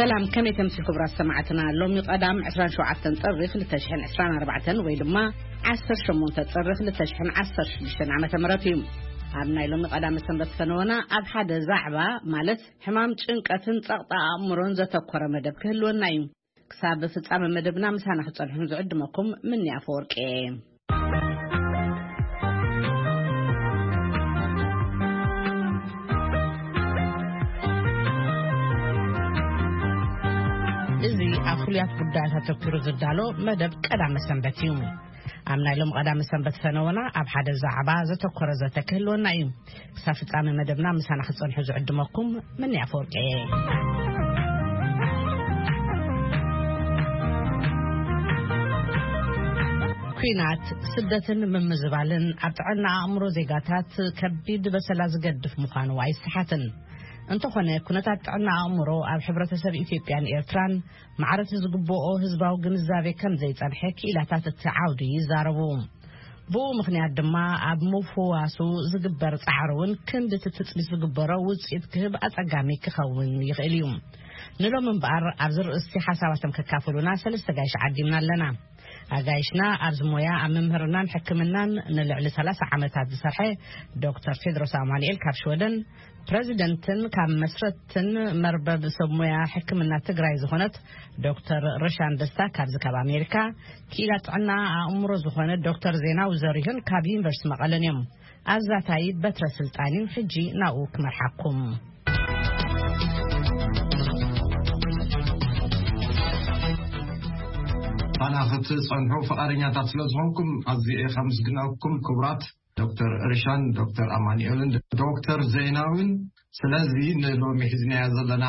ሰላም፣ ከመይ ተምሲ ክቡራት ሰማዕትና? ሎሚ ቀዳም ዕስራን ሸውዓተን ጥሪ ክልተ ሽሕን ዕስራን ኣርባዕተን ወይ ድማ ዓሰርተ ሸሞንተ ጥሪ ክልተ ሽሕን ዓሰርተ ሽዱሽተን ዓመተ ምህረት እዩ። ኣብ ናይ ሎሚ ቀዳም ሰንበት ፈነወና ኣብ ሓደ ዛዕባ፣ ማለት ሕማም ጭንቀትን ጸቕጣ ኣእምሮን ዘተኮረ መደብ ክህልወና እዩ። ክሳብ ፍጻመ መደብና ምሳና ክትጸንሑ ዝዕድመኩም ምኒ ኣፈወርቂ እየ። እዚ ኣብ ፍሉያት ጉዳያት ኣተኩሩ ዝዳሎ መደብ ቀዳመ ሰንበት እዩ። ኣብ ናይ ሎም ቀዳመ ሰንበት ፈነወና ኣብ ሓደ ዛዕባ ዘተኮረ ዘተ ክህልወና እዩ። ክሳብ ፍጻመ መደብና ምሳና ክትጸንሑ ዝዕድመኩም ምኒ ኣፈወርቂ እየ። ኲናት፣ ስደትን ምምዝባልን ኣብ ጥዕና ኣእምሮ ዜጋታት ከቢድ በሰላ ዝገድፍ ምዃኑ ኣይሰሓትን። እንተኾነ፣ ኩነታት ጥዕና ኣእምሮ ኣብ ሕብረተሰብ ኢትዮጵያን ኤርትራን ማዕረቲ ዝግብኦ ህዝባዊ ግንዛቤ ከም ዘይጸንሐ ክኢላታት እቲ ዓውዲ ይዛረቡ። ብኡ ምኽንያት ድማ ኣብ ምፍዋሱ ዝግበር ጻዕሪ እውን ክንዲ እቲ ትጽቢት ዝግበሮ ውጽኢት ክህብ ኣጸጋሚ ክኸውን ይኽእል እዩ። ንሎም እምበኣር ኣብዚ ርእስቲ ሓሳባቶም ከካፍሉና ሰለስተ ጋይሽ ዓዲምና ኣለና። ኣጋይሽና ኣብዚ ሞያ ኣብ ምምህርናን ሕክምናን ንልዕሊ ሰላሳ ዓመታት ዝሰርሐ ዶክተር ቴድሮስ ኣማኑኤል ካብ ሽወደን፣ ፕረዚደንትን ካብ መስረትን መርበብ ሰብ ሞያ ሕክምና ትግራይ ዝኾነት ዶክተር ርሻን ደስታ ካብዚ ካብ ኣሜሪካ፣ ክኢላ ጥዕና ኣእምሮ ዝኾነ ዶክተር ዜናዊ ዘሪሁን ካብ ዩኒቨርሲቲ መቐለን እዮም። ኣዛታይ በትረ ስልጣን እዩ። ሕጂ ናብኡ ክመርሓኩም። ኣና ክትጸንሑ ፍቓደኛታት ስለ ዝኾንኩም ኣዝየ እየ ከመስግነኩም ክቡራት ዶክተር ርሻን፣ ዶክተር ኣማኑኤልን ዶክተር ዜናዊን። ስለዚ ንሎሚ ሒዝናዮ ዘለና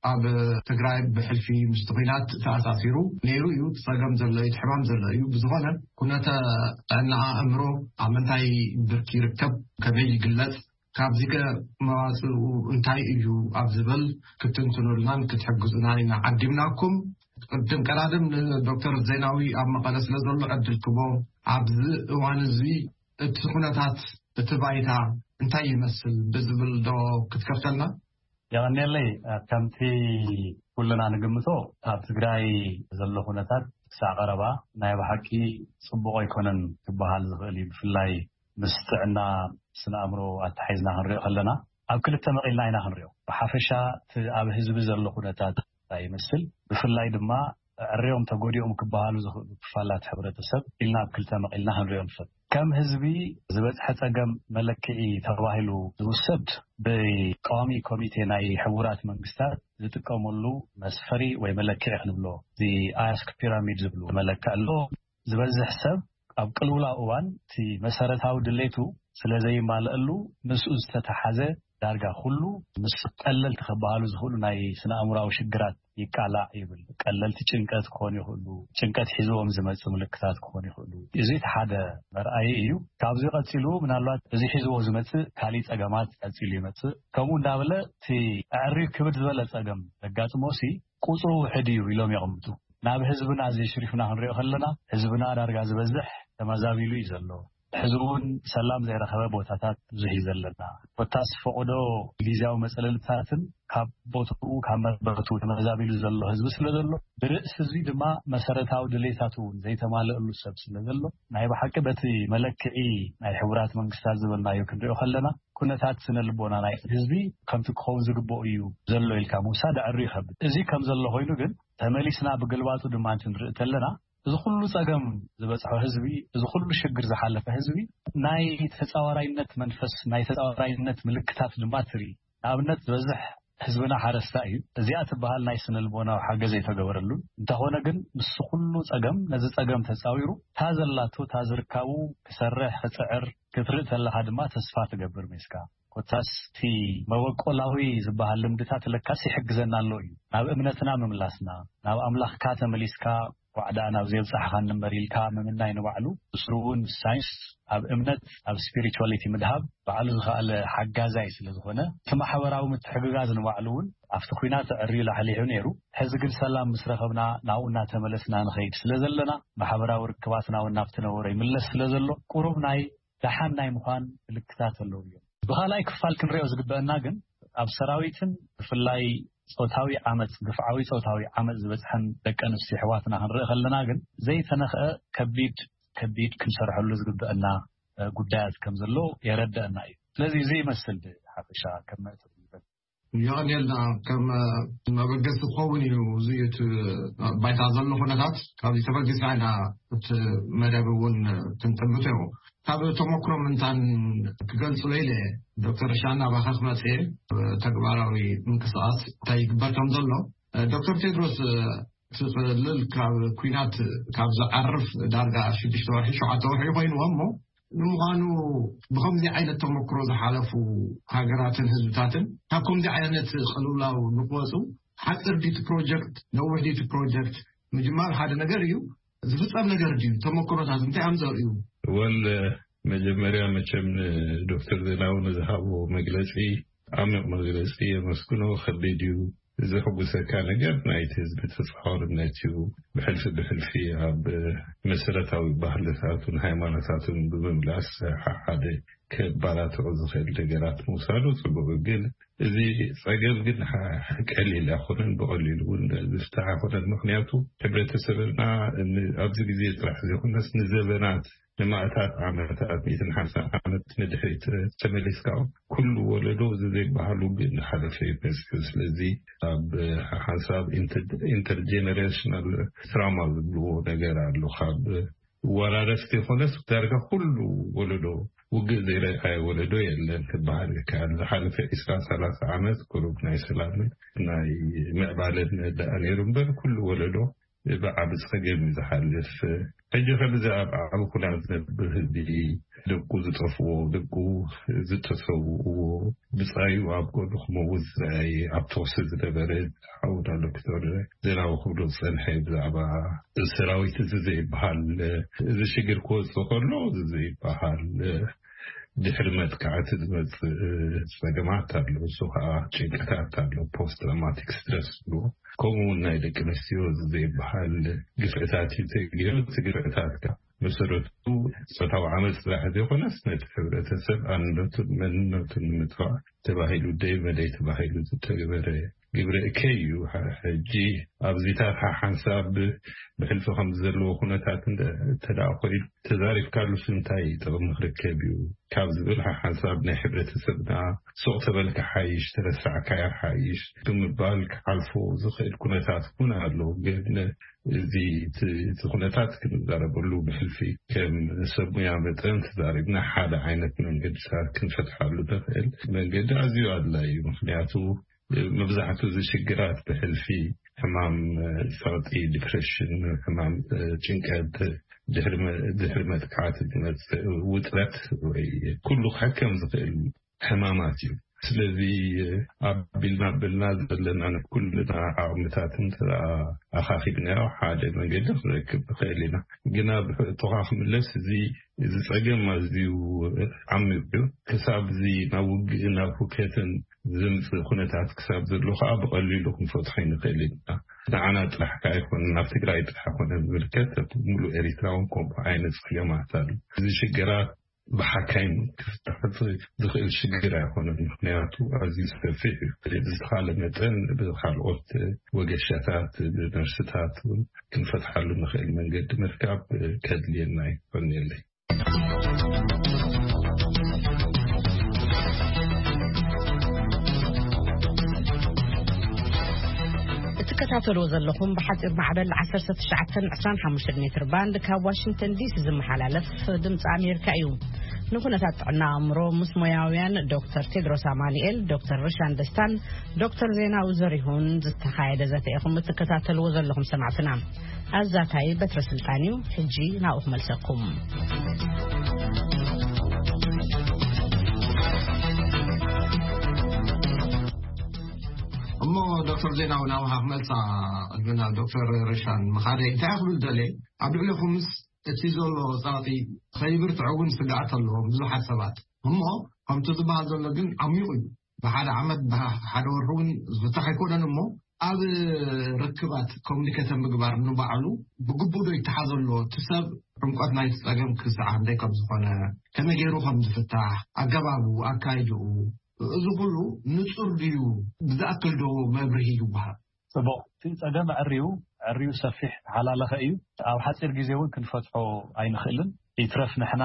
ኣብ ትግራይ ብሕልፊ ምስቲ ኲናት ተኣሳሲሩ ነይሩ እዩ። እቲ ጸገም ዘሎ እዩ፣ እቲ ሕማም ዘሎ እዩ። ብዝኾነ ኩነተ ጥዕና ኣእምሮ ኣብ ምንታይ ብርኪ ይርከብ፣ ከመይ ይግለጽ፣ ካብዚ ከ መዋጽኡ እንታይ እዩ ኣብ ዝብል ክትንትኑልናን ክትሕግዙናን ኢና ዓዲምናኩም። ቅድም ቀዳድም ንዶክተር ዜናዊ ኣብ መቐለ ስለ ዘሎ ዕድል ክቦ፣ ኣብዚ እዋን እዚ እቲ ኩነታት፣ እቲ ባይታ እንታይ ይመስል ብዝብል ዶ ክትከፍተልና? የቐንየለይ። ከምቲ ኩልና ንግምቶ፣ ኣብ ትግራይ ዘሎ ኩነታት ክሳዕ ቀረባ ናይ ብሓቂ ጽቡቕ ኣይኮነን ክበሃል ዝኽእል እዩ። ብፍላይ ምስ ጥዕና ስነ ኣእምሮ ኣተሓሒዝና ክንሪኦ ከለና፣ ኣብ ክልተ መቒልና ኢና ክንሪኦ። ብሓፈሻ እቲ ኣብ ህዝቢ ዘሎ ኩነታት እንታይ ይመስል፣ ብፍላይ ድማ ዕርዮም ተጎዲኦም ክበሃሉ ዝኽእሉ ክፋላት ሕብረተሰብ ኢልና ኣብ ክልተ መቒልና ክንሪኦ ንፈት። ከም ህዝቢ ዝበፅሐ ፀገም መለክዒ ተባሂሉ ዝውሰድ፣ ብቀዋሚ ኮሚቴ ናይ ሕቡራት መንግስታት ዝጥቀመሉ መስፈሪ ወይ መለክዒ ክንብሎ፣ እዚ ኣያስክ ፒራሚድ ዝብሉ መለክዒ ኣሎ። ዝበዝሕ ሰብ ኣብ ቅልውላው እዋን እቲ መሰረታዊ ድሌቱ ስለ ዘይማልአሉ፣ ምስኡ ዝተተሓዘ ዳርጋ ኩሉ ምስ ቀለልቲ ክበሃሉ ዝኽእሉ ናይ ስነ ኣእምራዊ ሽግራት ይቃላዕ ይብል። ቀለልቲ ጭንቀት ክኾኑ ይኽእሉ፣ ጭንቀት ሒዝዎም ዝመጽእ ምልክታት ክኾኑ ይኽእሉ። እዚ እቲ ሓደ መርኣዪ እዩ። ካብዚ ቀጺሉ ምናልባት እዚ ሒዝዎ ዝመጽእ ካሊእ ጸገማት ቀጺሉ ይመጽእ። ከምኡ እንዳበለ እቲ ኣዕርዩ ክብድ ዝበለ ጸገም ዘጋጥሞ ሲ ቁጽሩ ውሕድ እዩ ኢሎም የቐምጡ። ናብ ህዝብና እዚ ሽሪፍና ክንሪኦ ከለና፣ ህዝብና ዳርጋ ዝበዝሕ ተመዛቢሉ እዩ ዘሎ። ሕዚ እውን ሰላም ዘይረኸበ ቦታታት ብዙሕ እዩ ዘለና። ኮታስ ፈቐዶ ግዜያዊ መጸለልታትን ካብ ቦትኡ፣ ካብ መርበቱ ተመዛቢሉ ዘሎ ህዝቢ ስለ ዘሎ፣ ብርእሲ እዚ ድማ መሰረታዊ ድሌታቱ እውን ዘይተማልአሉ ሰብ ስለ ዘሎ፣ ናይ ብሓቂ በቲ መለክዒ ናይ ሕቡራት መንግስታት ዝበልናዮ ክንሪኦ ከለና፣ ኩነታት ስነ ልቦና ናይ ህዝቢ ከምቲ ክኸውን ዝግብኦ እዩ ዘሎ ኢልካ ምውሳድ ኣዕርዩ ይኸብድ። እዚ ከም ዘሎ ኮይኑ ግን፣ ተመሊስና ብግልባጡ ድማ እንትንርኢ ከለና፣ እዚ ኩሉ ጸገም ዝበጽሖ ህዝቢ፣ እዚ ኩሉ ሽግር ዝሓለፈ ህዝቢ፣ ናይ ተጻዋራይነት መንፈስ፣ ናይ ተጻዋራይነት ምልክታት ድማ ትርኢ። ንኣብነት፣ ዝበዝሕ ህዝብና ሓረስታይ እዩ። እዚኣ ትበሃል ናይ ስነ ልቦናዊ ሓገዝ ኣይተገበረሉን። እንተኾነ ግን፣ ምስ ኩሉ ጸገም፣ ነዚ ጸገም ተጻዊሩ፣ እታ ዘላቶ፣ እታ ዝርካቡ ክሰርሕ፣ ክጽዕር ክትርኢ ከለኻ ድማ ተስፋ ትገብር ሜስካ። ኮታስ እቲ መበቆላዊ ዝበሃል ልምድታት ለካስ ይሕግዘና ኣሎ እዩ። ናብ እምነትና ምምላስና፣ ናብ ኣምላኽካ ተመሊስካ፣ ዋዕዳ ናብ ዘየብጻሕኻኒ እምበር ኢልካ ምምናይ ንባዕሉ፣ ብስሩ እውን ሳይንስ ኣብ እምነት፣ ኣብ ስፒሪቹዋሊቲ ምድሃብ ባዕሉ ዝኸኣለ ሓጋዛይ ስለ ዝኾነ፣ እቲ ማሕበራዊ ምትሕግጋዝ ንባዕሉ እውን ኣብቲ ኲናት ኣዕርዩ ላሕሊሑ ነይሩ። ሕዚ ግን ሰላም ምስ ረኸብና ናብኡ እናተመለስና ንኸይድ ስለ ዘለና፣ ማሕበራዊ ርክባትና እውን ናብቲ ነበሮ ይምለስ ስለ ዘሎ፣ ቁሩብ ናይ ደሓን ናይ ምዃን ምልክታት ኣለዉ እዮም። ብኻልኣይ ክፋል ክንሪኦ ዝግበአና ግን፣ ኣብ ሰራዊትን ብፍላይ ጾታዊ ዓመጽ፣ ግፍዓዊ ጾታዊ ዓመጽ ዝበጽሐን ደቂ ኣንስትዮ ኣሕዋትና ክንርኢ ከለና ግን ዘይተነኽአ ከቢድ፣ ከቢድ ክንሰርሐሉ ዝግበአና፣ እ፣ ጉዳያት ከም ዘሎ የረድአና እዩ። ስለዚ እዚ ይመስል ብሓፈሻ ከም መእተዊ ይበል። የቐንየልና። ከም፣ እ፣ መበገሲ ክኸውን እዩ። እዚ እቲ ባይታ ዘሎ ኩነታት ካብዚ ተበጊስና ኢና እቲ መደብ እውን ክንጥምት እዩ። ካብ ተመክሮ ምንታን ክገልጽ ኢለ ዶክተር ሻና ባኻ ክመጽእ እየ። ተግባራዊ ምንቅስቓስ እንታይ ይግበር ከም ዘሎ፣ ዶክተር ቴድሮስ፣ እቲ ቅልል ካብ ኲናት ካብ ዝዓርፍ ዳርጋ ሽዱሽተ ወርሒ፣ ሸውዓተ ወርሒ ኮይንዎ እሞ፣ ንምዃኑ ብኸምዚ ዓይነት ተመክሮ ዝሓለፉ ሃገራትን ህዝብታትን ካብ ከምዚ ዓይነት ቅልውላው ንክወፁ ሓፂር ድዩ እቲ ፕሮጀክት፣ ነዊሕ ድዩ እቲ ፕሮጀክት? ምጅማር ሓደ ነገር እዩ። ዝፍጸም ነገር ድዩ? ተመክሮታት እንታይ እዮም ዘርእዩ? ወል መጀመርያ መቸም ንዶክተር ዜናዊ ንዝሃቦ መግለጺ፣ ዓሚቕ መግለጺ የመስግኖ። ከቢድ እዩ። ዘሕጉሰካ ነገር ናይቲ ህዝቢ ተጻዋርነት እዩ። ብሕልፊ ብሕልፊ ኣብ መሰረታዊ ባህልታቱን ሃይማኖታቱን ብምምላስ ሓደ ከባላትዑ ዝኽእል ነገራት ምውሳዱ ጽቡቕ፣ ግን እዚ ጸገም ግን ሓ-፣ ቀሊል ኣይኮነን፣ ብቐሊሉ እውን ዝፍታሕ ኣይኮነን። ምኽንያቱ ሕብረተሰብና ን-፣ ኣብዚ ግዜ ጥራሕ ዘይኮነስ ንዘበናት፣ ንማእታት ዓመታት፣ ሚእትን ሓምሳን ዓመት ንድሕሪት ተመሊስካ፣ ኩሉ ወለዶ እዚ ዘይበሃል ውግእ እንዳሓለፈ እዩ መጺኡ። ስለዚ ኣብ ሓንሳብ ኢንተር-፣ ኢንተርጀነሬሽናል ትራውማ ዝብልዎ ነገር ኣሎ። ካብ ወራረስቲ ይኾነስ ዳርጋ ኩሉ ወለዶ ውግእ ዘይረኣየ ወለዶ የለን ክበሃል ይከኣል። ዝሓለፈ ዒስራ ሰላሳ ዓመት ቁሩብ ናይ ሰላምን ናይ ምዕባለን ደኣ ነይሩ እምበር፣ ኩሉ ወለዶ ብዓቢ ጸገም እዩ ዝሓልፍ። ሕጂ ከምዚ ኣብ ዓቢ ኩናት ዝነብር ህዝቢ፣ ደቁ ዝጠፍዎ፣ ደቁ ዝተሰውእዎ፣ ብጻዩ ኣብ ጎድኑ ክመውት ዝረኣየ፣ ኣብ ተኹሲ ዝነበረ ሓውና ዶክተር ዜናዊ ክብሎ ዝጸንሐ ብዛዕባ ሰራዊት እዚ ዘይበሃል፣ እዚ ሽግር ክወጽእ ከሎ እዚ ዘይበሃል ድሕሪ መጥቃዕቲ ዝመጽእ ጸገማት ኣሎ። እሱ ኸኣ ጭንቀታት ኣሎ፣ ፖስት ትራውማቲክ ስትረስ ዝብልዎ። ከምኡ እውን ናይ ደቂ ኣንስትዮ እዚ ዘይበሃል ግፍዕታት እዩ ተገይሩ። እቲ ግፍዕታት ከኣ መሰረቱ ጾታዊ ዓመጽ ጥራሕ ዘይኮነስ ነቲ ሕብረተሰብ ኣንነቱን መንነቱን ንምጥፋእ ተባሂሉ፣ ደይ መደይ ተባሂሉ ዝተገበረ ግብረ እከይ እዩ። ሐ-፣ ሕጂ ኣብዚታት ሓ-፣ ሓንሳብ ብ-፣ ብሕልፊ ከም ዘለዎ ኩነታት እንተ፣ እንተ ደኣ ኮይኑ ተዛሪብካሉስ እንታይ ጥቕሚ ክርከብ እዩ ካብ ዝብል ሓ-፣ ሓንሳብ ናይ ሕብረተሰብና ሱቕ ተበልካ ሓይሽ፣ ተረሳዕካያ ሓይሽ ብምባል ክሓልፎ ዝኽእል ኩነታት እውን ኣሎ። ግን እዚ፣ እቲ፣ እቲ ኩነታት ክንዛረበሉ ብሕልፊ ከም ሰብ ሙያ መጠን ተዛሪብና ሓደ ዓይነት መንገድታት ክንፈትሓሉ ንኽእል መንገዲ ኣዝዩ ኣድላዪ እዩ። ምኽንያቱ መብዛሕትኡ እዚ ሽግራት ብሕልፊ ሕማም፣ እ፣ ጸቕጢ፣ ዲፕሬሽን፣ ሕማም፣ እ፣ ጭንቀት፣ ድሕሪ መ-፣ ድሕሪ መጥቃዕቲ ዝመጽእ ውጥረት ወይ ኩሉ ክሕከም ዝኽእል ሕማማት እዩ። ስለዚ ኣቢልና ኣቢልና ዘለና ናይ ኩልና ዓቕምታት እንተ ኣኻኺብናዮ ሓደ መንገዲ ክንረክብ ንኽእል ኢና። ግና ብሕቶኻ ክምለስ፣ እዚ፣ እዚ ጸገም ኣዝዩ ዓሚቕ እዩ። ክሳብ እዚ ናብ ውግእን ናብ ሁከትን ዘምጽእ ኩነታት ክሳብ ዘሎ ከኣ ብቐሊሉ ክንፈትሖ ኣይንኽእል ኢና። ንዓና ጥራሕ ከኣ ኣይኮነን፣ ናብ ትግራይ ጥራሕ ኣይኮነን ዝምልከት፣ ኣብ ሙሉእ ኤሪትራ እውን ከምኡ ዓይነት ጸገማት ኣሎ። እዚ ሽግራት ብሓካይም ክፍታሕ ዝኽእል ሽግር ኣይኮነን። ምኽንያቱ ኣዝዩ ሰፊሕ እዩ። ብዝተኻለ መጠን ብኻልኦት ወገሻታት፣ ብነርስታት እውን ክንፈትሓሉ ንኽእል መንገዲ ምርካብ ከድልየና እዩ። ይቐንየለይ። እትከታተልዎ ዘለኹም ብሓፂር ማዕበል ዓሰርተ ትሽዓተ ዕስራን ሓሙሽተን ሜትር ባንድ ካብ ዋሽንግተን ዲሲ ዝመሓላለፍ ድምፂ ኣሜሪካ እዩ። ንኩነታት ጥዕና ኣእምሮ ምስ ሞያውያን ዶክተር ቴድሮስ ኣማኑኤል፣ ዶክተር ርሻን ደስታን ዶክተር ዜናዊ ዘሪሁን ዝተኻየደ ዘተ ኢኹም እትከታተልዎ ዘለኹም ሰማዕትና። ኣዛታይ በትረ ስልጣን እዩ። ሕጂ ናብኡ ክመልሰኩም። እሞ ዶክተር ዜናዊ ናብኻ ክመልሳ ቅድሚ ናብ ዶክተር ርሻን ምኻደይ እንታይ ክብል ደልየ፣ ኣብ ልዕሌኹምስ እቲ ዘሎ ጸቕጢ ከይብርትዕ እውን ስግኣት ኣለዎም ብዙሓት ሰባት። እሞ ከምቲ ዝበሃል ዘሎ ግን ዓሚቑ እዩ። ብሓደ ዓመት ብሓደ ወርሒ እውን ዝፍታሕ ኣይኮነን። እሞ ኣብ ርክባት ኮሚኒኬት ምግባር ንባዕሉ ብግቡእ ዶ ይተሓዘ ኣሎ? እቲ ሰብ ዕምቆት ናይቲ ጸገም ክስዓብ እንታይ ከም ዝኾነ፣ ከመይ ገይሩ ከም ዝፍታሕ፣ ኣገባቡ፣ ኣካይድኡ፣ እዚ ኩሉ ንጹር ድዩ? ብዝኣክል ዶ መብርሂ ይወሃብ? ጽቡቕ። እቲ ጸገም ዕርዩ፣ ዕርዩ ሰፊሕ፣ ተሓላለኸ እዩ። ኣብ ሓጺር ግዜ እውን ክንፈትሖ ኣይንኽእልን። ይትረፍ ንሕና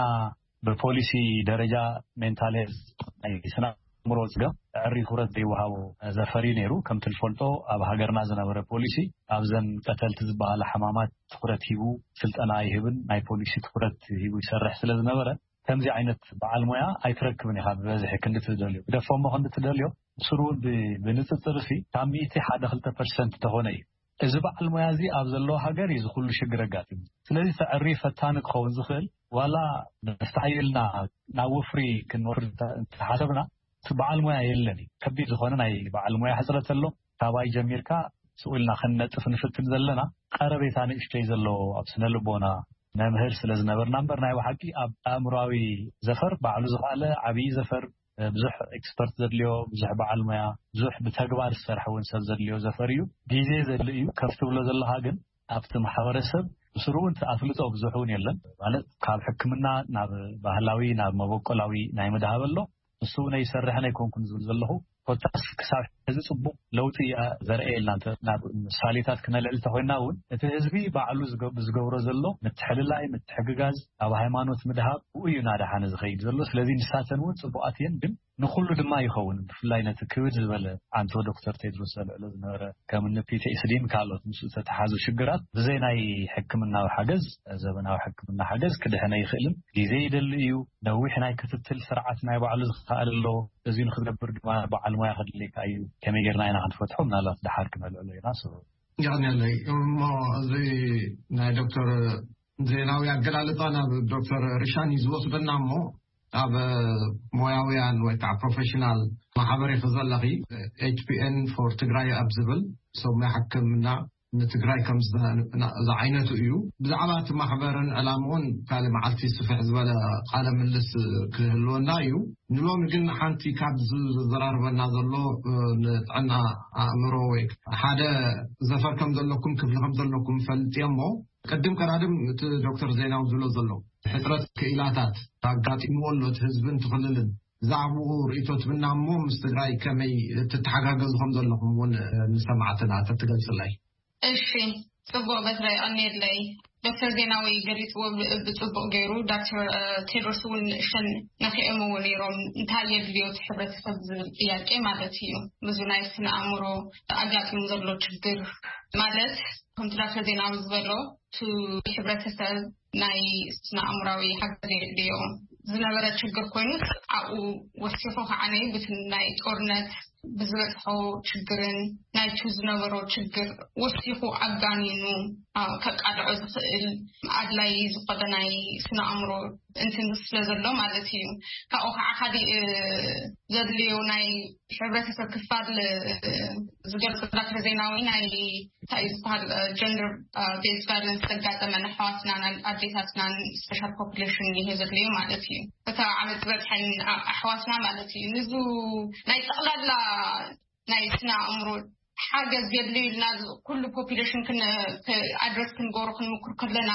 ብፖሊሲ ደረጃ ሜንታል ሄልዝ ናይ ስነ ኣእምሮ ጸገም ዕሪ ትኹረት ዘይወሃቦ ዘፈር እዩ ነይሩ። ከምቲ ንፈልጦ ኣብ ሃገርና ዝነበረ ፖሊሲ ኣብዘን ቀተልቲ ዝበሃላ ሕማማት ትኹረት ሂቡ ስልጠና ኣይህብን፣ ናይ ፖሊሲ ትኹረት ሂቡ ይሰርሕ ስለ ዝነበረ ከምዚ ዓይነት በዓል ሞያ ኣይትረክብን ኢኻ ብበዝሒ ክንዲ ትደልዮ። ግደፎ እሞ ክንዲ ትደልዮ ብስሩ እውን ብ-፣ ብንጽጽር ሲ ካብ ሚእቲ ሓደ ክልተ ፐርሰንት ተኾነ እዩ። እዚ በዓል ሞያ እዚ ኣብ ዘለዎ ሃገር እዩ እዚ ኩሉ ሽግር ኣጋጢሙ። ስለዚ እቲ ዕሪ ፈታኒ ክኸውን ዝኽእል ዋላ ነፍታሕ ኢልና ናብ ወፍሪ ክንወፍር እንተ-፣ እንተሓሰብና እቲ በዓል ሞያ የለን እዩ። ከቢድ ዝኾነ ናይ በዓል ሞያ ሕጽረት ኣሎ። ካባይ ጀሚርካ ስቕ ኢልና ክንነጥፍ ንፍትን ዘለና ቀረቤታ ንእሽተይ ዘለዎ ኣብ ስነ ልቦና መምህር ስለ ዝነበርና እምበር ናይ ብሓቂ ኣብ ኣእምሮኣዊ ዘፈር ባዕሉ ዝኸኣለ ዓብዪ ዘፈር ብዙሕ ኤክስፐርት ዘድልዮ፣ ብዙሕ በዓል ሞያ፣ ብዙሕ ብተግባር ዝሰርሐ እውን ሰብ ዘድልዮ ዘፈር እዩ። ግዜ ዘድልዮ እዩ። ከምቲ ትብሎ ዘለኻ ግን ኣብቲ ማሕበረሰብ ብስሩ እውን ኣፍልጦ ብዙሕ እውን የለን። ማለት ካብ ሕክምና ናብ ባህላዊ ናብ መበቆላዊ ናይ ምድሃብ ኣሎ። ንሱ እውን ኣይሰርሕን ኣይኮንኩን ዝብል ዘለኹ ኮታስ ክሳብ ሕዚ ጽቡቕ ለውጢ እያ ዘርእየልና። እንተ ናብ ምሳሌታት ክነልዕል እንተኾይና እውን እቲ ህዝቢ ባዕሉ ዝገ-፣ ዝገብሮ ዘሎ ምትሕልላይ፣ ምትሕግጋዝ፣ ኣብ ሃይማኖት ምድሃብ ብኡ እዩ እናደሓነ ዝኸይድ ዘሎ። ስለዚ ንሳተን እውን ጽቡቓት እየን፣ ግን ንኹሉ ድማ ይኸውን። ብፍላይ ነቲ ክብድ ዝበለ ኣንቶ ዶክተር ቴድሮስ ዘልዕሎ ዝነበረ ከም እኒ ፒ ቲ ኤስ ዲን ካልኦት ምስኡ ዝተተሓዙ ሽግራት ብዘይ ናይ ሕክምናዊ ሓገዝ፣ ዘበናዊ ሕክምና ሓገዝ ክድሕን ኣይኽእልን። ግዜ ይደሊ እዩ። ነዊሕ ናይ ክትትል ስርዓት ናይ ባዕሉ ዝኸኣል ኣሎ። እዚ ንክትገብር ድማ በዓል ሞያ ከድልየካ እዩ። ከመይ ጌርና ኢና ክንፈትሖ? ምናልባት ደሓር ክነልዕሎ ኢና። ስሩ ይቐንየለይ። እሞ እዚ ናይ ዶክተር ዜናዊ ኣገላልጻ ናብ ዶክተር ሪሻን እዩ ዝወስደና እሞ ኣብ ሞያውያን ወይ ከዓ ፕሮፌሽናል ማሕበር ኢኺ ዘለኺ፣ ኤች ፒ ኤን ፎር ትግራይ ኣብ ዝብል ሰብ ሞያ ሕክምና ንትግራይ ከም ዝና-፣ ዝዓይነቱ እዩ። ብዛዕባ እቲ ማሕበርን ዕላምኡን ካልእ መዓልቲ ስፍሕ ዝበለ ቃለ ምልስ ክህልወና እዩ። ንሎሚ ግን ሓንቲ ካብ ዝዘራርበና ዘሎ፣ እ፣ ንጥዕና ኣእምሮ ወይ ሓደ ዘፈር ከም ዘለኩም ክፍሊ ከም ዘለኩም ፈልጥ እየ እሞ ቅድም ቀዳድም እቲ ዶክተር ዜናዊ ዝብሎ ዘሎ ሕፅረት ክኢላታት ኣጋጢምዎ ኣሎ እቲ ህዝብን እቲ ክልልን። ብዛዕባኡ ርእይቶ ትብና እሞ ምስ ትግራይ ከመይ ትተሓጋገዙ ከም ዘለኹም እውን ንሰማዕትና ተትገልፅለይ። እሺ፣ ጽቡቕ በትረ ይቐንየለይ። ዶክተር ዜናዊ ገሊጽዎ ብ-፣ ብጽቡቕ ገይሩ። ዶክተር፣ እ፣ ቴድሮስ እውን ንእሽተን ነኺኦምዎ ነይሮም። እንታይ የድልዮ እቲ ሕብረተሰብ ዝብል ጥያቄ ማለት እዩ። ብዙ ናይ ስነ ኣእምሮ ኣጋጢሙ ዘሎ ችግር ማለት ከምቲ ዶክተር ዜናዊ ዝበሎ እቲ ሕብረተሰብ ናይ ስነ ኣእምራዊ ሓገዝ የድልዮ ዝነበረ ችግር ኮይኑስ ኣብኡ ወሲኹ ከዓ ነይ ብቲ ናይ ጦርነት ብዝበፅሖ ችግርን ናይቱ ዝነበሮ ችግር ወሲኹ ኣጋኒኑ፣ አ፣ ከቃልዖ ዝኽእል ኣድላይ ዝኾነ ናይ ስነ ኣእምሮ እንትን ስለ ዘሎ ማለት እዩ። ካብኡ ከዓ ካሊእ፣ እ፣ ዘድልዮ ናይ ሕብረተሰብ ክፋል፣ እ፣ ዝገልፅ ዶክተር ዜናዊ ናይ እንታይ እዩ ዝበሃል፣ እ፣ ጀንደር፣ እ፣ ቤዝ ቫዮለንስ ዘጋጠመን ኣሕዋትናን ኣዴታትናን ስፔሻል ፖፑሌሽን ይሄ ዘድልዮ ማለት እዩ። እታ ዓመት ዝበፅሐን ኣ-፣ ኣሕዋትና ማለት እዩ። ንዙ ናይ ጠቕላላ ናይ ስነ ኣእምሮ ሓገዝ የድልዩ ኢልና ዝ-፣ ኩሉ ፖፑሌሽን ክን-፣ ክ-፣ ኣድረስ ክንገብሮ ክንምክር ከለና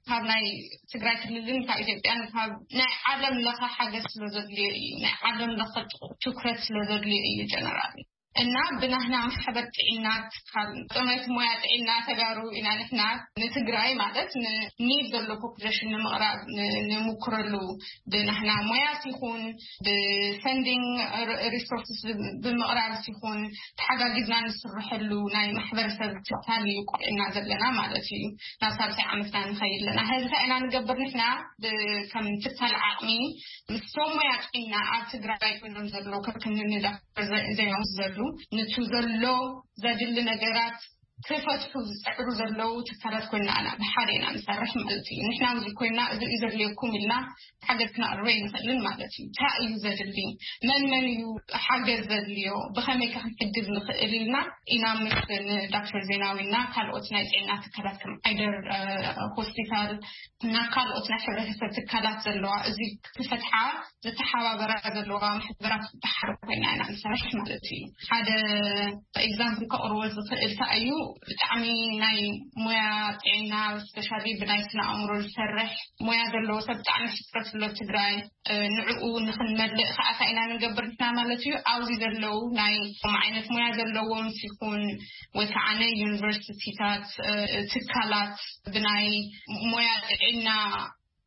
ካብ ናይ ትግራይ ክልልን ካብ ኢትዮጵያን ካብ ናይ ዓለም ለኸ ሓገዝ ስለ ዘድልዮ እዩ። ናይ ዓለም ለኸ ትኹ-፣ ትኩረት ስለ ዘድልዮ እዩ ጀነራል። እና ብናህና ማሕበር ጥዕና ትካል ጥሜት ሞያ ጥዕና ተጋሩ ኢና ንሕና ንትግራይ ማለት ን-፣ ኒድ ዘሎ ፖፑሌሽን ንምቕራብ ን-፣ ንምክረሉ ብናህና ሞያት ይኹን ብፈንዲንግ ር-፣ ሪሶርስስ ብ-፣ ብምቕራብ ይኹን ተሓጋጊዝና ንስርሐሉ ናይ ማሕበረሰብ ትካል እዩ ቆልዕና ዘለና ማለት እዩ። ናብ ሳልሳይ ዓመትና ንኸይድ ኣለና። ሕዚ እንታይ ኢና ንገብር ንሕና ብ-፣ ከም ትካል ዓቕሚ ምስ ቶም ሞያ ጥዕና ኣብ ትግራይ ኮይኖም ዘለዉ ከክንንዳ ዘ-፣ ዘይወስደሉ፣ ንቱ ዘሎ ዘድሊ ነገራት ክፈትሑ ዝፅዕሩ ዘለዉ ትካላት ኮይና ኣና ብሓደ ኢና ንሰርሕ ማለት እዩ። ንሕና ኣብዚ ኮይና እዚ እዩ ዘድልየኩም ኢልና ሓገዝ ክነቕርበ ይንኽእልን ማለት እዩ። እንታይ እዩ ዘድሊ? መን መን እዩ ሓገዝ ዘድልዮ? ብኸመይ ከ ክንሕግዝ ንኽእል ኢልና ኢና ምስ ንዳክተር ዜናዊ እና ካልኦት ናይ ጥዕና ትካላት ከም ዓይደር፣ እ፣ ሆስፒታል እና ካልኦት ናይ ሕብረተሰብ ትካላት ዘለዋ እዚ ክፈትሓ ዝተሓባበራ ዘለዋ ማሕበራት ብሓደ ኮይና ኢና ንሰርሕ ማለት እዩ። ሓደ ኤግዛምፕል ከቕርቦ ዝኽእል እንታይ እዩ? ብጣዕሚ ናይ ሞያ ጥዕና፣ ስፔሻሊ ብናይ ስነ ኣእምሮ ዝሰርሕ ሞያ ዘለዎ ሰብ ብጣዕሚ ሕፅረት ኣሎ ትግራይ። ንዕኡ ንክንመልእ ከዓ እንታይ ኢና ንገብር ንሕና ማለት እዩ? ኣብዚ ዘለዉ ናይ ከምኡ ዓይነት ሞያ ዘለዎም ሲኩን ወይ ከዓ ናይ ዩኒቨርሲቲታት፣ ትካላት ብናይ ሞያ ጥዕና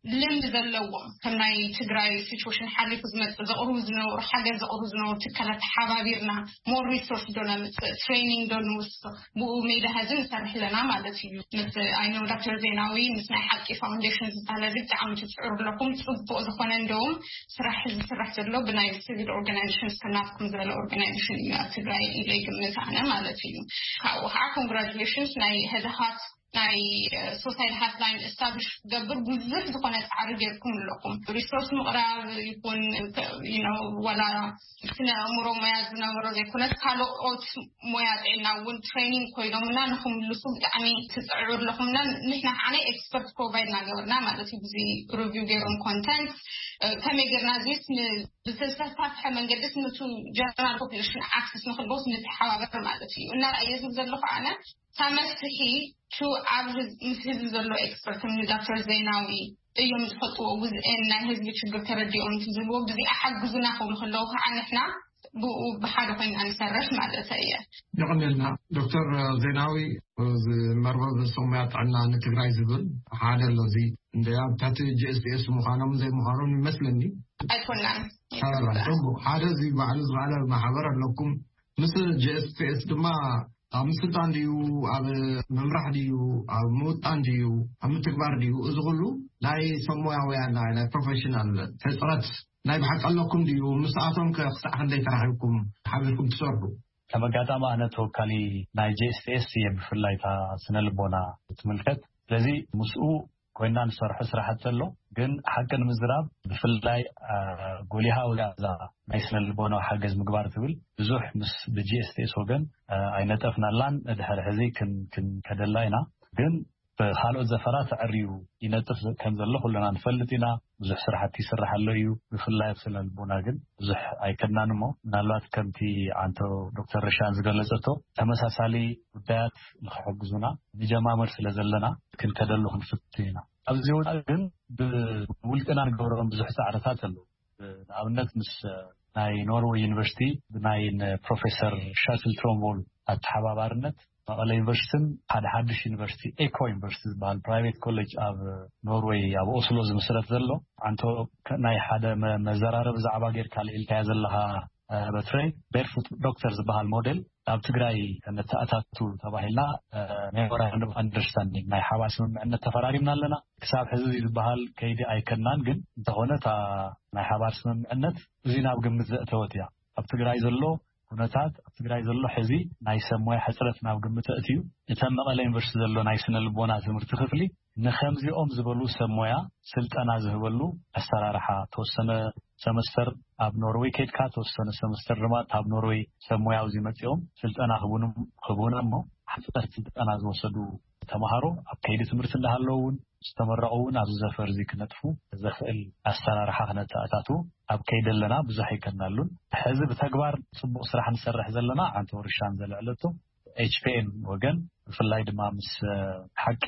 ልምድ ዘለዎም ከም ናይ ትግራይ ሲቹዌሽን ሓሊፉ ዝመፅእ ዘቕርቡ ዝነበሩ ሓገዝ ዘቕርቡ ዝነበሩ ትካላት ተሓባቢርና ሞር ሪሶርስ ዶ ነምፅእ፣ ትሬኒንግ ዶ ንውስኽ፣ ብኡ ሜዳ ሀዚ ንሰርሕ ኣለና ማለት እዩ። ምስ ኣይነው ዶክተር ዜናዊ ምስ ናይ ሓቂ ፋውንዴሽን ዝበሃል እዚ ብጣዕሚ ትፅዕሩ ኣለኹም። ፅቡቅ ዝኾነ እንደውም ስራሕ ዝስራሕ ዘሎ ብናይ ሲቪል ኦርጋናይዜሽን እስከናትኩም ዝበለ ኦርጋናይዜሽን እዩ ኣብ ትግራይ ኢለ ይግምት ኣነ ማለት እዩ። ካብኡ ከዓ ኮንግራጁሌሽንስ ናይ ህድሃት ናይ ሶሳይድ ሃትላይን ኤስታብሊሽ ክገብር ብዙሕ ዝኾነ ፃዕሪ ገይርኩም ኣለኹም። ሪሶርስ ምቕራብ ይኹን ወላ ስነ ኣእምሮ ሞያ ዝነበሮ ዘይኮነስ ካልኦት ሞያ ጥዕና እውን ትሬኒንግ ኮይኖምና ንክምልሱ ብጣዕሚ ትፅዕሩ ኣለኹምና። ንሕና ከዓ ናይ ኤክስፐርት ፕሮቫይድ እናገበርና ማለት እዩ። ብዙ ሪቪው ገይሮም ኮንተንት ከመይ ገይርና እዚስ ብዝተሳፍሐ መንገድስ ነቱ ጀነራል ፖፕሌሽን ኣክሰስ ንክልቦስ ንተሓባበር ማለት እዩ። እና እየ ዝብ ዘለኹ ኣነ ሳመፍትሒ ቱ ኣብ ምስ ህዝቢ ዘሎ ኤክስፐርት ዶክተር ዜናዊ እዮም ዝፈልጥዎ። ውዝኤን ናይ ህዝቢ ችግር ተረዲኦም ዝብዎ ብዚኣ ሓግዙና ክብሉ ከለዉ ከዓ ንሕና ብኡ ብሓደ ኮይና ንሰርሕ ማለት እየ። የቐንየልና። ዶክተር ዜናዊ፣ እዚ መርበብ ሰሙያ ጥዕና ንትግራይ ዝብል ሓደ ኣሎ። እዚ እንደ ኣብ ትሕቲ ጂኤስቲኤስ ምዃኖም ዘይምዃኖም ይመስለኒ። ኣይኮናን። ጽቡቅ። ሓደ እዚ ባዕሉ ዝበዓለ ማሕበር ኣለኩም። ምስ ጂኤስቲኤስ ድማ ኣብ ምስልጣን ድዩ፣ ኣብ ምምራሕ ድዩ፣ ኣብ ምውጣን ድዩ፣ ኣብ ምትግባር ድዩ፣ እዚ ኩሉ ናይ ሰሙያውያን ናይ ፕሮፌሽናል ሕፅረት ናይ ብሓቂ ኣለኩም ድዩ? ምስኣቶም ከ ክሳዕ ክንደይ ተራኺብኩም ሓቢርኩም ትሰርሑ? ከም ኣጋጣሚ ኣነ ተወካሊ ናይ ጂኤስቲኤስ እየ፣ ብፍላይ እታ ስነ ልቦና ትምልከት። ስለዚ ምስኡ ኮይና ንሰርሖ ስራሕቲ ኣሎ። ግን ሓቂ ንምዝራብ ብፍላይ ጎሊሃ ውላዛ ናይ ስነ ልቦናዊ ሓገዝ ምግባር ትብል ብዙሕ ምስ ብጂኤስቲኤስ ወገን ኣይነጠፍናላን። ድሕሪ ሕዚ ክንከደላ ኢና። ግን ብካልኦት ዘፈራት ኣዕርዩ ይነጥፍ ከም ዘሎ ኩልና ንፈልጥ ኢና። ብዙሕ ስራሕቲ ይስራሕ ኣሎ እዩ። ብፍላይ ኣብ ስነ ልቦና ግን ብዙሕ ኣይከድናን እሞ ምናልባት ከምቲ ዓንቶ ዶክተር ርሻን ዝገለጸቶ ተመሳሳሊ ጉዳያት ንክሕግዙና ንጀማምር ስለ ዘለና ክንከደሉ ክንፍትን ኢና። ኣብዚ ወፃኢ ግን ብውልቅና ንገብሮም ብዙሕ ፃዕርታት ኣለዉ። ንኣብነት ምስ ናይ ኖርወይ ዩኒቨርሲቲ ብናይ ፕሮፌሰር ሻስል ትሮምቦል ኣተሓባባርነት መቐለ ዩኒቨርሲቲን ሓደ ሓድሽ ዩኒቨርሲቲ ኤኮ ዩኒቨርሲቲ ዝበሃል ፕራይቬት ኮሌጅ ኣብ ኖርወይ ኣብ ኦስሎ ዝምስረት ዘሎ ኣንቶ ናይ ሓደ መዘራረብ ዛዕባ ጌርካ ልዒልካያ ዘለኻ በትረይ ቤርፉት ዶክተር ዝበሃል ሞዴል ኣብ ትግራይ ነተኣታቱ ተባሂልና ሜሞራንደም ኦፍ ኣንደርስታንዲንግ ናይ ሓባር ስምምዕነት ተፈራሪምና ኣለና። ክሳብ ሕዚ ዝበሃል ከይዲ ኣይከናን፣ ግን እንተኾነ እታ ናይ ሓባር ስምምዕነት እዚ ናብ ግምት ዘእተወት እያ። ኣብ ትግራይ ዘሎ ኩነታት ኣብ ትግራይ ዘሎ ሕዚ ናይ ሰብ ሞያ ሕፅረት ናብ ግምት ኣእትዩ እተን መቐለ ዩኒቨርሲቲ ዘሎ ናይ ስነ ልቦና ትምህርቲ ክፍሊ ንከምዚኦም ዝበሉ ሰብ ሞያ ስልጠና ዝህበሉ ኣሰራርሓ ተወሰነ ሰመስተር ኣብ ኖርወይ ከድካ ተወሰነ ሰመስተር ድማ ካብ ኖርወይ ሰብ ሞያ ኣብዚ መፂኦም ስልጠና ክቡን ክቡን እሞ ሓፀርቲ ስልጠና ዝወሰዱ ተምሃሮ ኣብ ከይዲ ትምህርቲ እንዳሃለዉ እውን ዝተመረቑ እውን ኣብዚ ዘፈር እዚ ክነጥፉ ዘኽእል ኣሰራርሓ ክነተኣታቱ ኣብ ከይዲ ኣለና። ብዙሕ ኣይከናሉን። ሕዚ ብተግባር ፅቡቕ ስራሕ ንሰርሕ ዘለና ዓንተ ወርሻን ዘለዕለቶ ኤችፒኤን ወገን ብፍላይ ድማ ምስ ሓቂ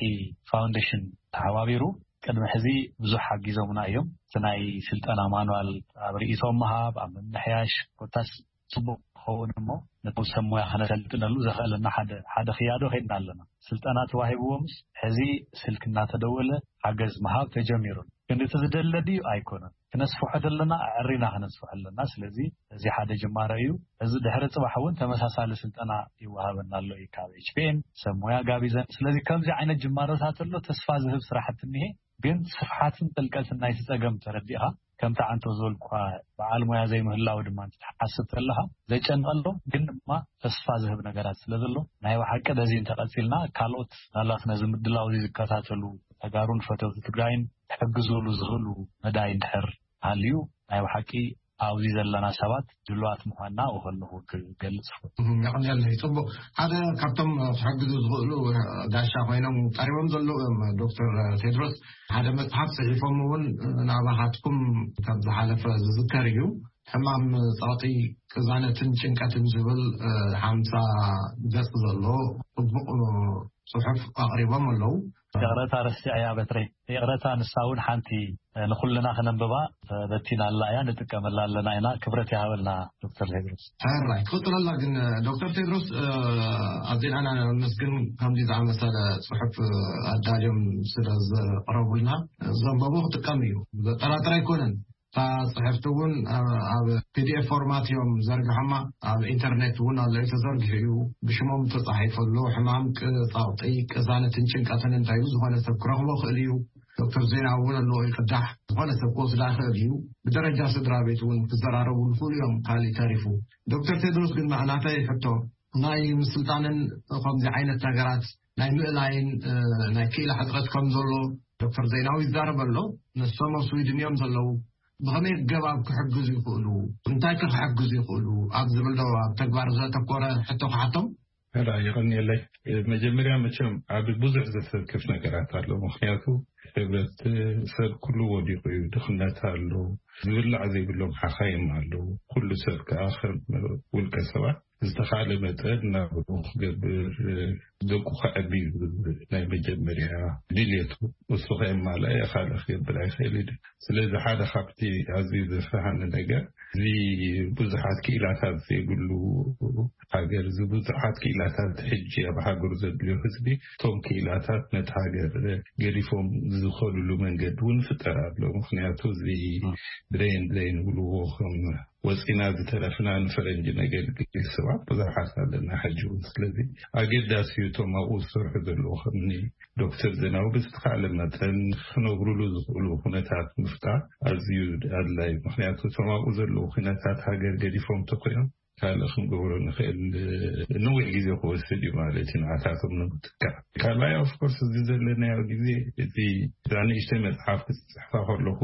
ፋውንዴሽን ተሓባቢሩ ቅድሚ ሕዚ ብዙሕ ሓጊዞምና እዮም። እቲ ናይ ስልጠና ማንዋል ኣብ ርእይቶም ምሃብ ኣብ ምምሕያሽ ኮታስ ፅቡቅ ክኸውን እሞ ነቶም ሰብ ሞያ ከነሰልጥነሉ ዘኽእለና ሓደ ሓደ ክያዶ ከይድና ኣለና። ስልጠና ተዋሂብዎምስ ሕዚ ስልክ እናተደወለ ሓገዝ ምሃብ ተጀሚሩን ግን እቲ ዝደለ ድዩ ኣይኮነን። ክነስፍሖ ደለና ኣዕሪና ክነስፍሖ ኣለና። ስለዚ እዚ ሓደ ጅማሮ እዩ። እዚ ድሕሪ ፅባሕ እውን ተመሳሳሊ ስልጠና ይወሃበና ኣሎ እዩ ካብ ኤችፒኤን ሰብ ሞያ ጋቢዘን። ስለዚ ከምዚ ዓይነት ጅማሮታት ኣሎ ተስፋ ዝህብ ስራሕቲ እኒሄ። ግን ስፍሓትን ጥልቀትን ናይቲ ፀገም ተረዲእኻ ከምቲ ዓንቶ ዝበልኩኻ በዓል ሞያ ዘይምህላው ድማ እንትትሓስብ ተለኻ ዘጨንቐሎ ግን ድማ ተስፋ ዝህብ ነገራት ስለ ዘሎ ናይ ብሓቂ በዚ እንተቐፂልና ካልኦት ናላት ነዚ ምድላው እዚ ዝከታተሉ ተጋሩን ፈተውቲ ትግራይን ክሕግዝሉ ዝኽእሉ መዳይ እንድሕር ሃልዩ ናይ ብሓቂ ኣብዚ ዘለና ሰባት ድልዋት ምዃንና ኣብኡ ከለኹ ክገልፅ ይፈቱ። የቐንየለይ። ፅቡቕ። ሓደ ካብቶም ክሕግዙ ዝኽእሉ ጋሻ ኮይኖም ቀሪቦም ዘለዉ እዮም ዶክተር ቴድሮስ ሓደ መፅሓፍ ፅሒፎም እውን ናባኻትኩም ካብ ዝሓለፈ ዝዝከር እዩ። ሕማም ጸቕጢ፣ ቅዛነትን ጭንቀትን ዝብል ሓምሳ ገጽ ዘሎ ጽቡቕ ጽሑፍ ኣቕሪቦም ኣለዉ። ይቕረታ ረሲዐያ በትረይ። ይቕረታ፣ ንሳ እውን ሓንቲ ንኹልና ክነንብባ በቲና ኣላ እያ፣ ንጥቀመላ ኣለና ኢና። ክብረት ይሃበልና ዶክተር ቴድሮስ። ሕራይ ክቕፅለላ ግን ዶክተር ቴድሮስ፣ ኣዜና ነመስግን። ከምዚ ዝኣመሰለ ፅሑፍ ኣዳልዮም ስለ ዘቕረቡልና፣ ዘንበቦ ክጥቀም እዩ፣ ዘጠራጥር ኣይኮነን። እታ ፅሕፍቲ እውን ኣብ ፒዲኤፍ ፎርማት እዮም ዘርግሖማ። ኣብ ኢንተርኔት እውን ኣሎ፣ ተዘርጊሑ እዩ። ብሽሞም ተፃሒፈሉ፣ ሕማም ጸቕጢ፣ ቅሳነትን ጭንቀትን እንታይ እዩ፣ ዝኾነ ሰብ ክረኽቦ ክእል እዩ። ዶክተር ዜና እውን ኣለዎ ይቅዳሕ፣ ዝኾነ ሰብ ክወስዳ ክእል እዩ። ብደረጃ ስድራ ቤት እውን ክዘራረቡ ይኽእሉ እዮም። ካሊእ ተሪፉ ዶክተር ቴድሮስ ግን ናተይ ሕቶ፣ ናይ ምስልጣንን ከምዚ ዓይነት ነገራት ናይ ምእላይን ናይ ክኢላ ሕፅረት ከም ዘሎ ዶክተር ዜናዊ ይዛረብ ኣሎ። ንሶም ኣብ ስዊድን እዮም ዘለዉ። ብኸመይ ገባብ ክሕግዙ ይኽእሉ፣ እንታይ ከ ክሕግዙ ይኽእሉ ኣብ ዝብል ዶ ኣብ ተግባር ዘተኮረ ሕቶ ክሓቶም? ሕራ ይቐንየለይ። መጀመርያ መቸም ኣብ ብዙሕ ዘሰክፍ ነገራት ኣሎ። ምክንያቱ ሕብረት ሰብ ኩሉ ወዲቑ እዩ። ድኽነት ኣሎ፣ ዝብላዕ ዘይብሎም ሓኻይም ኣለዉ። ኩሉ ሰብ ከዓ ከም ውልቀ ሰባት ዝተኻለ መጠን ናብኡ ክገብር፣ ደቁ ከዕቢ እዩ ናይ መጀመርያ ድልየቱ። እሱ ከየማልኣ ካልእ ክገብር ኣይኽእል እዩ። ስለዚ ሓደ ካብቲ ኣዝዩ ዘፍርሃኒ ነገር እዚ ብዙሓት ክኢላታት ዘይብሉ ሃገር፣ እዚ ብዙሓት ክኢላታት ሕጂ ኣብ ሃገሩ ዘድልዮ ህዝቢ፣ እቶም ክኢላታት ነቲ ሃገር ገዲፎም ዝኸድሉ መንገዲ እውን ፍጠር ኣሎ። ምክንያቱ እዚ ብሬን ድሬን ይብልዎ፣ ከም ወፂና ዝተረፍና ንፈረንጂ ነገልግል ሰባት ብዙሓት ኣለና ሕጂ እውን። ስለዚ ኣገዳሲ እዩ እቶም ኣብኡ ዝሰርሑ ዘለዉ ከምኒ ዶክተር ዜናዊ ብዝተኻለ መጠን ክነብሩሉ ዝኽእሉ ኩነታት ምፍጣር ኣዝዩ ኣድላይ። ምክንያቱ እቶም ኣብኡ ዘለዉ ኩነታት ሃገር ገዲፎም ተኮዮም ካልእ ክንገብሮ ንኽእል ነዊሕ ግዜ ክወስድ እዩ ማለት እዩ ንዓታቶም ንምትካእ። ካልኣይ ኦፍኮርስ እዚ ዘለናዮ ግዜ፣ እዚ እዛ ንእሽተይ መፅሓፍ ክፅሕፋ ከለኹ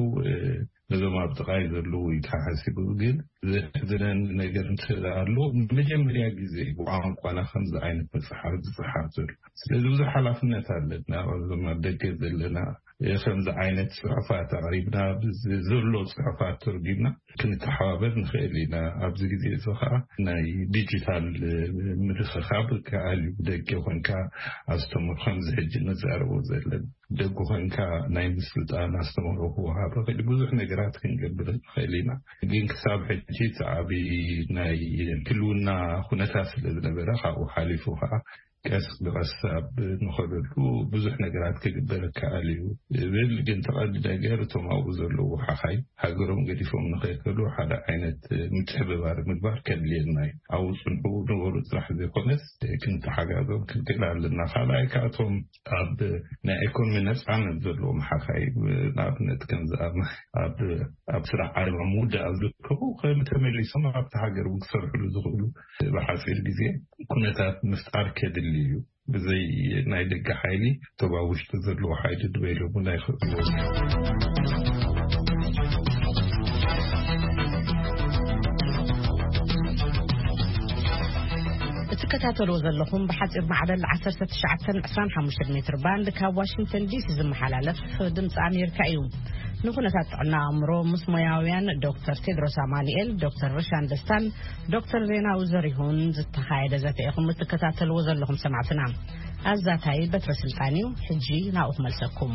ነዞም ኣብ ጥቓይ ዘለዉ እዩ ተሓሲቡ። ግን ዘሕዝነኒ ነገር እንተ ኣሎ፣ ንመጀመርያ ግዜ ብቋንቋና ከምዚ ዓይነት መጽሓፍ ዝጽሓፍ ዘሎ። ስለዚ ብዙሕ ሓላፍነት ኣለና። ኣብዞም ኣብ ደገ ዘለና ከምዚ ዓይነት ጽሑፋት ኣቕሪብና፣ ብዚ ዘሎ ጽሑፋት ተርጒምና ክንተሓባበር ንኽእል ኢና። ኣብዚ ግዜ እዚ ኸዓ ናይ ዲጂታል ምርኽኻብ ከኣል እዩ። ብደገ ኮንካ ኣስተምር፣ ከምዚ ሕጂ ንዛረቦ ዘለና ደጉ ኮንካ ናይ ምስልጣን ኣስተምህሮ ክወሃብ ይኽእል፣ ብዙሕ ነገራት ክንገብር ንኽእል ኢና። ግን ክሳብ ሕጂ እቲ ዓቢ ናይ ህልውና ኩነታት ስለ ዝነበረ፣ ካብኡ ሓሊፉ ከዓ ቀስ ብቐስ ኣብ ንኸደሉ ብዙሕ ነገራት ክግበር ይከኣል እዩ እብል። ግን ተቐዲ ነገር እቶም ኣብኡ ዘለዉ ሓኻይ ሃገሮም ገዲፎም ንኸይከዱ ሓደ ዓይነት ምትሕብባር ምግባር ከድልየና እዩ። ኣብኡ ጽንሑ ንበሩ ጥራሕ ዘይኮነስ ክንተሓጋዞም ክንክእል ኣለና። ካልኣይ ካብቶም ኣብ ናይ ኢኮኖሚ ነጻነት ዘለዎም ሓኻይ፣ ንኣብነት ከምዚ ኣብ ኣብ ኣብ ስራሕ ዓለም ኣብ ምውዳእ ኣብ ዝርከቡ ከም ተመሊሶም ኣብቲ ሃገር እውን ክሰርሕሉ ዝኽእሉ ብሓፂር ግዜ ኩነታት ምፍጣር ከድሊ እዩ። ብዘይ ናይ ደገ ሓይሊ እቶም ኣብ ውሽጢ ዘለዉ ሓይሊ ድበይሎም እውን ኣይኽእልዎ። እትከታተልዎ ዘለኹም ብሓፂር ማዕበል ዓሰርተ ትሽዓተ ዕስራን ሓሙሽተን ሜትር ባንድ ካብ ዋሽንግተን ዲሲ ዝመሓላለፍ ድምፂ ኣሜሪካ እዩ። ንኩነታት ጥዕና ኣእምሮ ምስ ሞያውያን ዶክተር ቴድሮስ ኣማኑኤል፣ ዶክተር ርሻን ደስታን ዶክተር ዜናዊ ዘሪሁን ዝተኻየደ ዘተ ኢኹም እትከታተልዎ ዘለኹም ሰማዕትና። ኣዛታይ በትረ ስልጣን እዩ። ሕጂ ናብኡ ክመልሰኩም።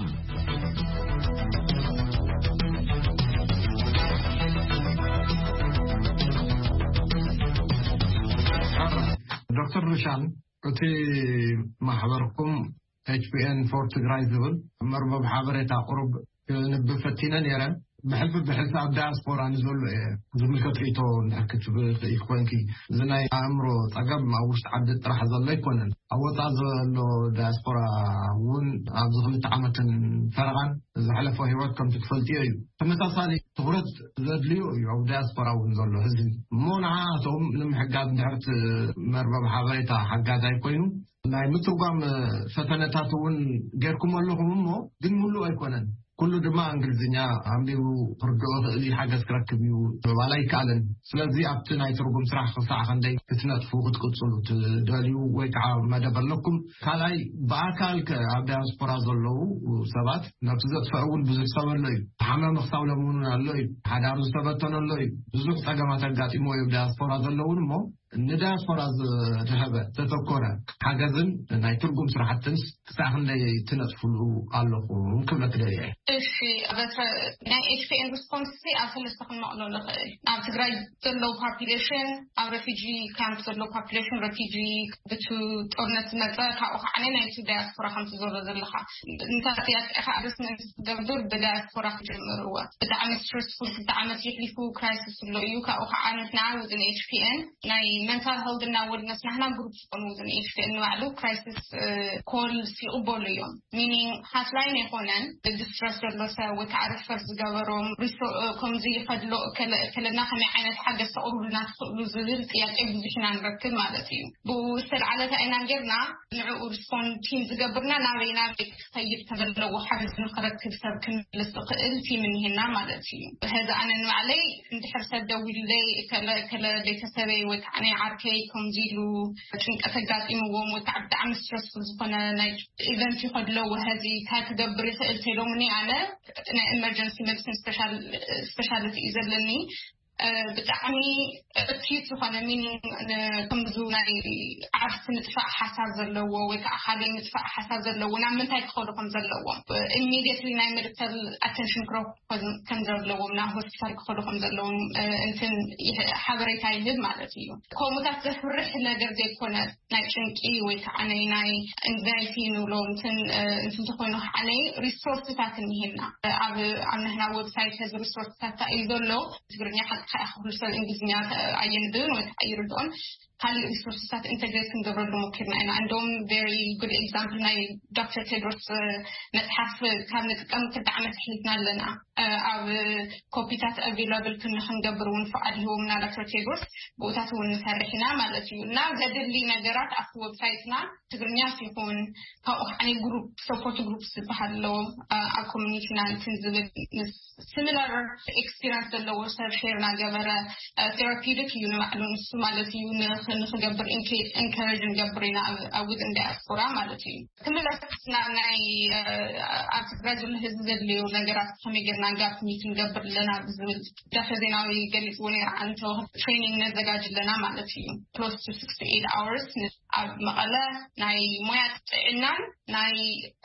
ዶክተር ርሻን፣ እቲ ማሕበርኩም ኤች ፒ ኤን ፎር ትግራይ ዝብል መርበብ ሓበሬታ ቁሩብ ክንብብ ፈቲነ ነይረ። ብሕልፊ ብሕልፊ ኣብ ዳያስፖራ ንዘሎ እየ ዝምልከት ርእይቶ እንድሕር ክትብ ትኽእል ኮንኪ፣ እዚ ናይ ኣእምሮ ጸገም ኣብ ውሽጢ ዓዲ ጥራሕ ዘሎ ኣይኮነን። ኣብ ወጻኢ ዘሎ ዳያስፖራ እውን ኣብዚ ክልተ ዓመትን ፈረቓን ዝሓለፎ ህይወት ከምቲ ትፈልጥዮ እዩ። ተመሳሳሊ ትኹረት ዘድልዮ እዩ ኣብ ዳያስፖራ እውን ዘሎ ህዝቢ። እሞ ንዓኣቶም ንምሕጋዝ እንድሕር እቲ መርበብ ሓበሬታ ሓጋዛይ ኮይኑ ናይ ምትርጓም ፈተነታት እውን ጌርኩም ኣለኹም፣ እሞ ግን ምሉእ ኣይኮነን። ኩሉ ድማ እንግሊዝኛ ኣንቢቡ ክርድኦ ክእል እዩ፣ ሓገዝ ክረክብ እዩ ምባል ኣይከኣልን። ስለዚ ኣብቲ ናይ ትርጉም ስራሕ ክሳዕ ክንደይ ክትነጥፉ ክትቅፅሉ ትደልዩ ወይ ከዓ መደብ ኣለኩም? ካልኣይ፣ ብኣካል ከ ኣብ ዳያስፖራ ዘለዉ ሰባት፣ ነብሲ ዘጥፍዐ እውን ብዙሕ ሰብ ኣሎ እዩ። ተሓማሚ ክሳብ ሎሚ እውን ኣሎ እዩ። ሓዳሩ ዝተበተነ ኣሎ እዩ። ብዙሕ ጸገማት ኣጋጢሞ እዮም ዳያስፖራ ዘለውን እሞ፣ ንዳያስፖራ ዝረኸበ ዘተኮረ ሓገዝን ናይ ትርጉም ስራሕትን ክሳዕ ክንደይ ትነጥፍሉ ኣለኹም ክብለክ ደልየ እየ። እሺ፣ በትረ ናይ ኤች ፒ ኤን ሪስፖንስ ኣብ ሰለስተ ክንመቕሎ ንኽእል። ኣብ ትግራይ ዘለዉ ፖፑሌሽን፣ ኣብ ረፊጂ ካምፕ ዘለዉ ፖፑሌሽን፣ ረፊጂ ብቱ ጦርነት ዝመፀ፣ ካብኡ ከዓ ናይቲ ዳያስፖራ ከምቲ ዘሎ ዘለካ እንታት ያጥዕካ ኣርስን ገብር ብዳያስፖራ ክጀምርዎ። ብጣዕሚ ስትረስፉል ክልተ ዓመት የሕሊፉ ክራይሲስ ኣሎ እዩ። ካብኡ ከዓ ንሕና ውዝን ኤች ፒ ኤን ናይ መንታል ሄልድ እና ወልነስ ናህና ግሩፕ ዝኾኑ ውዝን ኤች ፒ ኤን ንባዕሉ ክራይሲስ ኮል ይቕበሉ እዮም። ሚኒንግ ሃትላይን ኣይኮነን፣ ዲስትረስ ዘሎ ሰብ ወይ ከዓ ሪፈር ዝገበሮም ሪሶ- ከምዚ ይኸድሎ ከለና ከመይ ዓይነት ሓገዝ ተቕርቡልና ትኽእሉ ዝብል ጥያቄ ብዙሕ ኢና ንረክብ ማለት እዩ። ብኡ ዝተልዓለ እንታይ ኢና ጌርና ንዕኡ ሪስፖንድ ቲም ዝገብርና ናበይ ናበይ ክኸይድ ተዘለዎ ሓገዝ ንክረክብ ሰብ ክንልስ ዝኽእል ቲም እኒሄና ማለት እዩ። ሕዚ ኣነ ንባዕለይ እንድሕር ሰብ ደዊሉለይ ከለ ከለ ቤተሰበይ ወይ ከዓ ናይ ዓርከይ ከምዚ ኢሉ ጭንቀት ኣጋጢምዎም ወይ ከዓ ብጣዕሚ ስትረስፉል ዝኾነ ናይ ኢቨንት ይኸድለዎ ሕዚ እንታይ ክገብር ይኽእል ተሎምኒ ኣነ ናይ ኤመርጀንሲ ሜዲሲን ስፔሻሊቲ እዩ ዘለኒ። ብጣዕሚ ኣኪዩት ዝኾነ ሚኒንግ ከምዙ ናይ ዓርሲ ምጥፋእ ሓሳብ ዘለዎ ወይ ከዓ ካበይ ምጥፋእ ሓሳብ ዘለዎ ናብ ምንታይ ክኸዱ ከም ዘለዎም ኢሚዲየትሊ ናይ ሜዲካል ኣተንሽን ክረኩ ከም ዘለዎም ናብ ሆስፒታል ክኸዱ ከም ዘለዎም እንትን ሓበሬታ ይህብ ማለት እዩ። ከምኡታት ዘፍርሕ ነገር ዘይኮነ ናይ ጭንቂ ወይ ከዓ ናይ ናይ ኤንዛይቲ ንብሎ እንትን እንትን ተኮይኑ ከዓ ናይ ሪሶርስታት እኒሄና ኣብ ኣብ ንሕና ዌብሳይት ሕዚ ሪሶርስታት እዩ ዘሎ። ትግርኛ ሓቂ ከዓ ኩሉ ሰብ እንግሊዝኛ ኣየንብብን ወይ ከዓ ይርድኦን። ካልእ ሪሶርስታት ኢንተግሬት ክንገብረሉ ሞኪርና ኢና። እንደውም ቨሪ ጉድ ኤግዛምፕል ናይ ዶክተር ቴድሮስ መፅሓፍ ካብ ንጥቀም ክልተ ዓመት ኣሕሊፍና ኣለና። ኣብ ኮፒታት ኣቬላብል ክን ክንገብር እውን ፍቓድ ሂቦምና ዶክተር ቴድሮስ። ብኡታት እውን ንሰርሕ ኢና ማለት እዩ። እና ዘድሊ ነገራት ኣብቲ ዌብሳይትና ትግርኛ ሲኹን ካብኡ ከዓ ግሩፕ ሰፖርት ግሩፕ ዝበሃል ኣለዎም ኣብ ኮሚኒቲና እንትን ዝብል ምስ ሲሚላር ኤክስፒሪንስ ዘለዎ ሰብ ሼር ናገበረ ቴራፒውቲክ እዩ ንባዕሉ ንሱ ማለት እዩ። ንክገብር ኢንከሬጅ ንገብር ኢና ኣብ ውጥ እንዳ ዲያስፖራ ማለት እዩ። ክምለስ ናብ ናይ ኣብ ትግራይ ዘሎ ህዝቢ ዘድልዩ ነገራት ከመይ ጌርና ጋፕ ሚት ንገብር ኣለና ብዝብል ዳክተር ዜናዊ ገሊፅዎ ነይሩ። ኣንተ ትሬኒንግ ነዘጋጅ ኣለና ማለት እዩ። ክሎስ ቱ ስክስቲ ኤይት ኣወርስ ኣብ መቐለ ናይ ሞያ ጥዕናን ናይ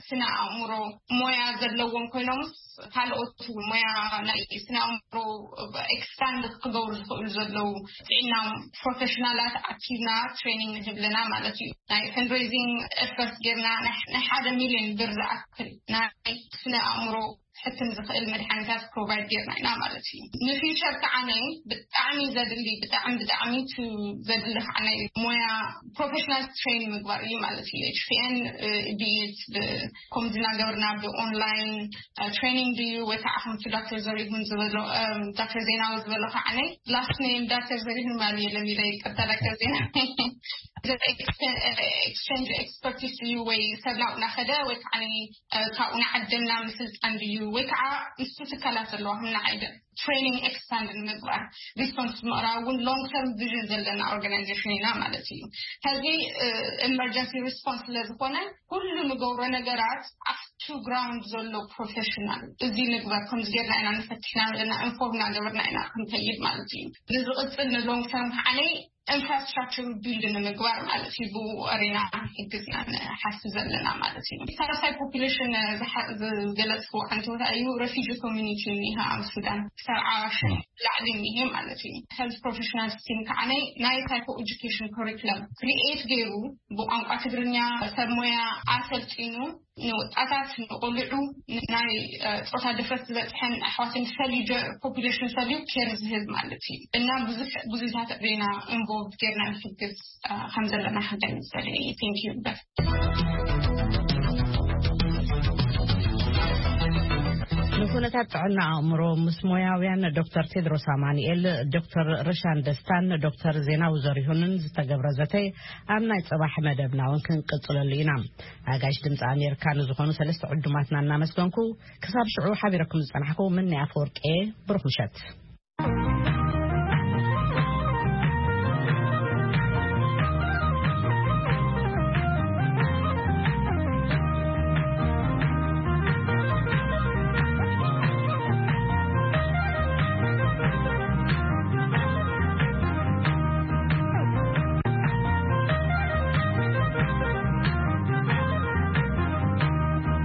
ስነ ኣእምሮ ሞያ ዘለዎም ኮይኖምስ ካልኦት ሞያ ናይ ስነ ኣእምሮ ኤክስፓንድ ክገብሩ ዝኽእሉ ዘለዉ ጥዕና ፕሮፌሽናላት ኣኪብና ትሬኒንግ ንህብ ኣለና ማለት እዩ። ናይ ፈንድሬዚንግ ኤፈርት ጌርና ናይ ሓደ ሚሊዮን ብር ዝኣክል ናይ ስነ ኣእምሮ ሕክም ዝኽእል መድሓኒታት ፕሮቫይድ ጌርና ኢና ማለት እዩ። ንፊውቸር ከዓ ናይ ብጣዕሚ ዘድሊ ብጣዕሚ ብጣዕሚ ቱ ዘድሊ ከዓ ናይ ሞያ ፕሮፌሽናል ትሬን ምግባር እዩ ማለት እዩ። ኤች ፒ ኤን ቢት ከምዚ እናገበርና ብኦንላይን ትሬኒንግ ድዩ ወይ ከዓ ከምቲ ዳክተር ዘሪሁን ዝበሎ ዳክተር ዜናዊ ዝበሎ ከዓ ናይ ላስት ኔም ዳክተር ዘሪሁን ማል የለም ኢለ ይቅርታ ዳክተር ዜና ኤክስቸንጅ ኤክስፐርቲስ እዩ ወይ ሰብ ናብኡ ናኸደ ወይ ከዓ ካብኡ ንዓደና ምስልጣን ድዩ ወይ ከዓ ምስቱ ትካላት ዘለዋ ምና ዓይደ ትሬኒንግ ኤክስፓንድ ንምግባር ሪስፖንስ ምቕራብ እውን ሎንግ ተርም ቪዥን ዘለና ኦርጋናይዜሽን ኢና ማለት እዩ። ከዚ ኤመርጀንሲ ሪስፖንስ ስለዝኮነ ኩሉ ንገብሮ ነገራት ኣብቱ ግራውንድ ዘሎ ፕሮፌሽናል እዚ ንግበር ከምዚ ጌርና ኢና ንፈትሕና ዘለና ኢንፎርም እናገበርና ኢና ክንከይድ ማለት እዩ። ንዝቕፅል ንሎንግ ተርም ከዓነይ ኢንፍራስትራክቸር ቢልድ ንምግባር ማለት እዩ። ብኡ ኣሬና ሕግዝና ንሓስብ ዘለና ማለት እዩ። ሳልሳይ ፖፑሌሽን ዝገለፅኩ ዓንተወታ እዩ ረፊጂ ኮሚኒቲ እኒሃ ኣብ ሱዳን ሰብዓ ሽሕ ላዕሊ እኒሄ ማለት እዩ። ሄልት ፕሮፌሽናል ስቲም ከዓነይ ናይ ሳይኮ ኤጁኬሽን ኮሪክለም ክሪኤት ገይሩ ብቋንቋ ትግርኛ ሰብ ሞያ ኣሰልጢኑ ንወጣታት ንቆልዑ ናይ ፆታ ድፍረት ዝበፅሐን ኣሕዋትን ፈልዩ ፖፑሌሽን ፈልዩ ኬር ዝህብ ማለት እዩ። እና ብዙሕ ብዙታት ሬና ኢንቮልቭ ጌርና ንሕግዝ ከም ዘለና ሓንታይ ምሰለ። Thank you። ዝኾነ እታ ጥዕና ኣእምሮ ምስ ሞያውያን ዶክተር ቴድሮስ ኣማኑኤል፣ ዶክተር ርሻን ደስታን ዶክተር ዜናዊ ዘሪሁንን ዝተገብረ ዘተ ኣብ ናይ ጽባሕ መደብና እውን ክንቅጽለሉ ኢና። ኣጋይሽ ድምፂ ኣሜሪካ ንዝኾኑ ሰለስተ ዕዱማትና እናመስገንኩ፣ ክሳብ ሽዑ ሓቢረኩም ዝጸናሕኩ ምኒ ኣፈወርቂ፣ ብሩኽ ምሸት።